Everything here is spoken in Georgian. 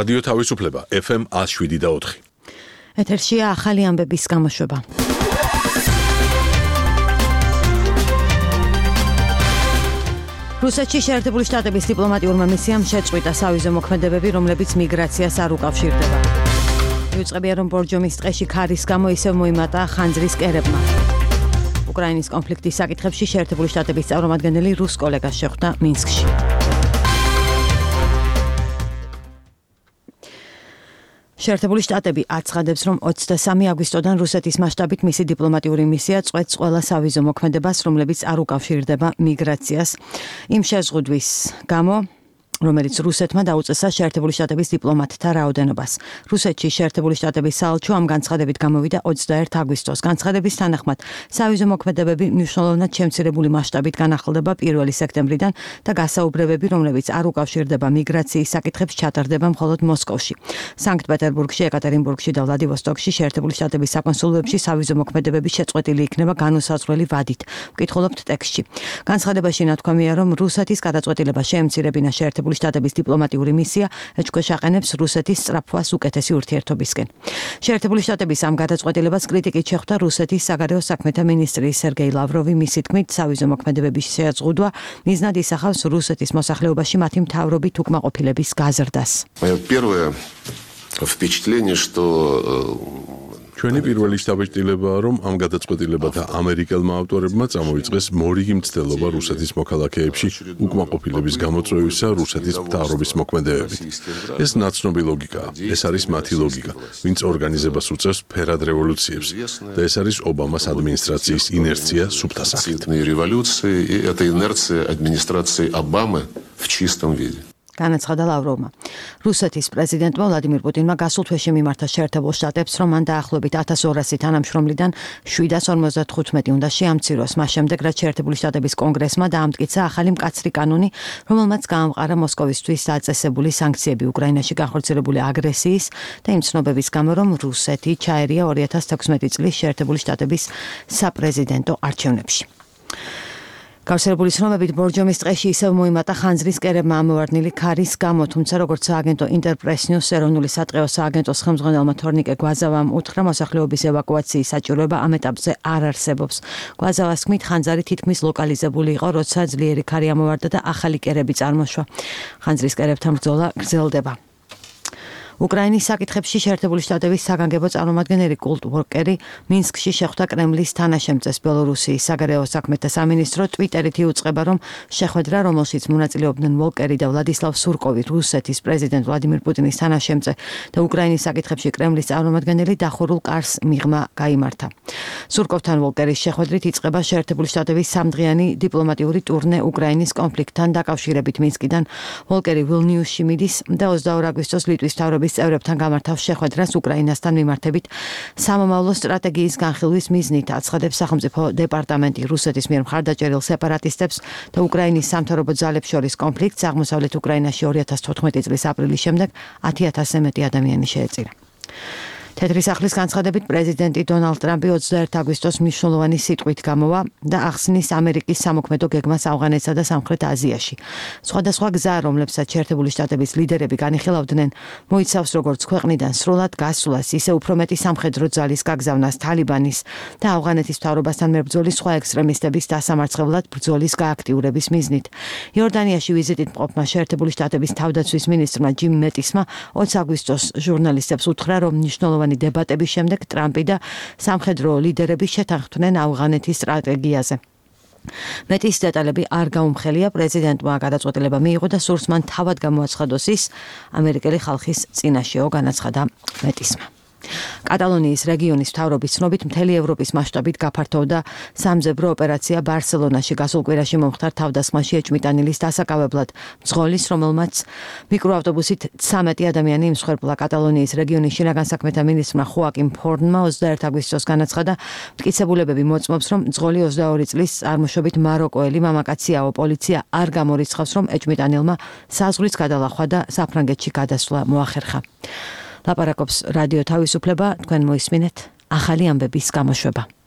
რადიო თავისუფლება FM 107.4. ეთერშია ახალი ამბების გამოშვება. რუსეთში შეერთებული შტატების დიპლომატიურმა მისიამ შეწყვიტა სავიზო მოქმედებები, რომლებიც მიგრაციას არ უკავშირდება. იუწყებია, რომ ბორჯომის ტყეში ქარის გამო ისევ მოიმატა ხანძრის კერებმა. უკრაინის კონფლიქტის საკითხებში შეერთებული შტატების წარმომადგენელი რუს კოლეგას შეხვდა მინსკში. შეერთებული შტატები აცხადებს, რომ 23 აგვისტოდან რუსეთის მასშტაბით მისი დიპლომატიური მისია წყვეტს ყველა სავიზო მოქმედებას, რომლებიც არ უკავშირდება მიგრაციას. იმ შეზღუდვის გამო, რომელიც რუსეთმა დაუწესა შეერთებული შტატების დიპლომატთა რაოდენობას. რუსეთში შეერთებული შტატების საელჩო ამ განცხადებით გამოვიდა 21 აგვისტოს. განცხადების თანახმად, სავიზო მოქმედებები მნიშვნელოვნად შემცირებული მასშტაბით განახლდება 1 სექტემბრიდან და გასაუბრებები, რომლებიც არ უკავშირდება მიგრაციის საკითხებს, ჩატარდება მხოლოდ მოსკოვში. სანქტ-პეტერბურგში, ეკატერინბურგში და ვლადივოსტოკში შეერთებული შტატების საკონსულოებში სავიზო მოქმედებები შეწყვეტილი იქნება განუსაზღვრელი ვადით. ვკითხულობთ ტექსტში. განცხადებაში ნათქვამია, რომ რუსეთის გადაწყვეტილება შეემცირებინა შეერთებული შტატების დიპლომატიური მისია ეჭქვეშ აყენებს რუსეთის სწრაფვას უკეთესი ურთიერთობისკენ. შეერთებული შტატების ამ გადაწყვეტილებას კრიტიკით შეხვდა რუსეთის საგარეო საქმეთა მინისტრი სერგეი ლავროვი. მისი თქმით, სავიზო მოქმედებების შეზღუდვა მიზნად ისახავს რუსეთის მოსახლეობაში მათი მთავრობით უკმაყოფილების გაზრდას. ჩვენი პირველი შთაბეჭდილებაა, რომ ამ გადაწყვეტილებათა ამერიკელმა ავტორებმა წამოიწყეს მორიგი მცდელობა რუსეთის მოქალაქეებში უკმაყოფილების გამოწვევისა რუსეთის მთავრობის მოქმედებებით. ეს ნაცნობი ლოგიკაა. ეს არის მათი ლოგიკა, ვინც ორგანიზებას უწევს ფერად რევოლუციებს და ეს არის ობამას ადმინისტრაციის ინერცია სუფთა სახით. განაცხადა ლავროვმა. რუსეთის პრეზიდენტმა ვლადიმირ პუტინმა გასულ თვეში მიმართა შეერთებულ შტატებს, რომ მან დაახლოებით 1200 თანამშრომლიდან 755 უნდა შეამციროს. მას შემდეგ, რაც შეერთებული შტატების კონგრესმა დაამტკიცა ახალი მკაცრი კანონი, რომელმაც გაამყარა მოსკოვისთვის დაწესებული სანქციები უკრაინაში განხორციელებული აგრესიის და იმ ცნობების გამო, რომ რუსეთი ჩაერია 2016 წლის შეერთებული შტატების საპრეზიდენტო არჩევნებში. გავრცელებული ცნობებით ბორჯომის ტყეში ისევ მოიმატა ხანძრის კერებმა ამოვარდნილი ქარის გამო, თუმცა როგორც სააგენტო ინტერპრესნიუს ეროვნული სატყეო სააგენტოს ხელმძღვანელმა თორნიკე გვაზავამ უთხრა, მოსახლეობის ევაკუაციის საჭიროება ამ ეტაპზე არ არსებობს. გვაზავას თქმით, ხანძარი თითქმის ლოკალიზებული იყო, როცა ძლიერი ქარი ამოვარდა და ახალი კერები წარმოშვა. ხანძრის კერებთან ბრძოლა გრძელდება. უკრაინის საკითხებში შეერთებული შტატების საგანგებო წარმომადგენელი კულტ ვორკერი მინსკში შეხვდა კრემლის თანაშემწეს. ბელორუსიის საგარეო საქმეთა სამინისტრო ტვიტერით იუწყება, რომ შეხვედრა, რომელშიც მონაწილეობდნენ ვოლკერი და ვლადისლავ სურკოვი, რუსეთის პრეზიდენტ ვლადიმირ პუტინის თანაშემწე და უკრაინის საკითხებში კრემლის წარმომადგენელი დახურულ კარს მიღმა გაიმართა. სურკოვთან ვოლკერის შეხვედრით იწყება შეერთებული შტატების სამდღიანი დიპლომატიური ტურნე უკრაინის კონფლიქტთან დაკავშირებით. მინსკიდან ვოლკერი ვილნიუსში მიდის და 22 აგვისტოს ლიტვის მთავრობის წევრებთან გამართავს შეხვედრას უკრაინასთან მიმართებით სამომავლო სტრატეგიის განხილვის მიზნით. აცხადებს სახელმწიფო დეპარტამენტი. რუსეთის მიერ მხარდაჭერილ სეპარატისტებს და უკრაინის სამთავრობო ძალებს შორის კონფლიქტს აღმოსავლეთ უკრაინაში 2014 წლის აპრილის შემდეგ 10,000-ზე მეტი ადამიანი შეეწირა. თეთრი სახლის განცხადებით პრეზიდენტი დონალდ ტრამპი 21 აგვისტოს მნიშვნელოვანი სიტყვით გამოვა და ახსნის ამერიკის სამოქმედო გეგმას ავღანეთსა და სამხრეთ აზიაში. სხვადასხვა გზა, რომლებსაც შეერთებული შტატების ლიდერები განიხილავდნენ, მოიცავს როგორც ქვეყნიდან სრულად გასვლას, ისე უფრო მეტი სამხედრო ძალის გაგზავნას თალიბანის და ავღანეთის მთავრობასთან მებრძოლის სხვა ექსტრემისტების დასამარცხებლად ბრძოლის გააქტიურების მიზნით. იორდანიაში ვიზიტით მყოფმა შეერთებული შტატების თავდაცვის მინისტრმა ჯიმ მეტისმა 20 აგვისტოს ჟურნალისტებს უთხრა, რომ მნიშვნელოვანი დებატების შემდეგ ტრამპი და სამხედრო ლიდერები შეთანხმდნენ ავღანეთის სტრატეგიაზე. მეტის დეტალები არ გაუმხელია. პრეზიდენტმა გადაწყვეტილება მიიღო და სურს მან თავად გამოაცხადოს ის ამერიკელი ხალხის წინაშეო, განაცხადა მეტისმა. კატალონიის რეგიონის მთავრობის ცნობით მთელი ევროპის მასშტაბით გაფართოვდა სამძებრო ოპერაცია ბარსელონაში. გასულ კვირაში მომხდარ თავდასხმაში ეჭმიტანილის დასაკავებლად მძღოლის, რომელმაც მიკროავტობუსით 13 ადამიანი იმსხვერპლა. კატალონიის რეგიონის შინაგან საქმეთა მინისტრმა ხოაკიმ ფორნმა 21 აგვისტოს განაცხადა, მტკიცებულებები მოწმობს, რომ მძღოლი 22 წლის წარმოშობით მაროკოელი მამაკაციაო. პოლიცია არ გამორიცხავს, რომ ეჭმიტანილმა საზღვრის გადალახვა და საფრანგეთში გადასვლა მოახერხა. ლაპარაკობს რადიო თავისუფლება, თქვენ მოისმინეთ ახალი ამბების გამოშვება.